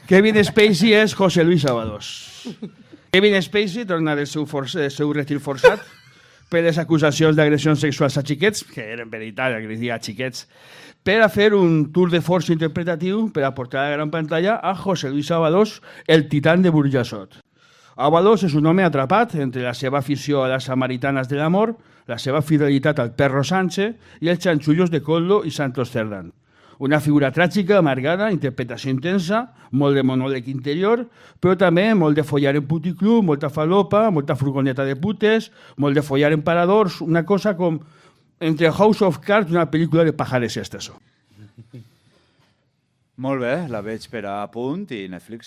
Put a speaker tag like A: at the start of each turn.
A: Kevin Spacey és José Luis Ábalos. Kevin Spacey torna del seu retir forçat per les acusacions d'agressions sexuals a xiquets, que eren veritat, agredia a xiquets, per a fer un tour de força interpretatiu per a portar a la gran pantalla a José Luis Ábalos, el titán de Burjassot. Ábalos és un home atrapat entre la seva afició a les samaritanes de l'amor, la seva fidelitat al perro Sánchez i els xanxullos de Coldo i Santos Cerdán. Una figura tràgica, amargada, interpretació intensa, molt de monòleg interior, però també molt de follar en puticlub, molta falopa, molta furgoneta de putes, molt de follar en paradors, una cosa com entre House of Cards i una pel·lícula de pajares esteso.
B: Molt bé, la veig per a punt i Netflix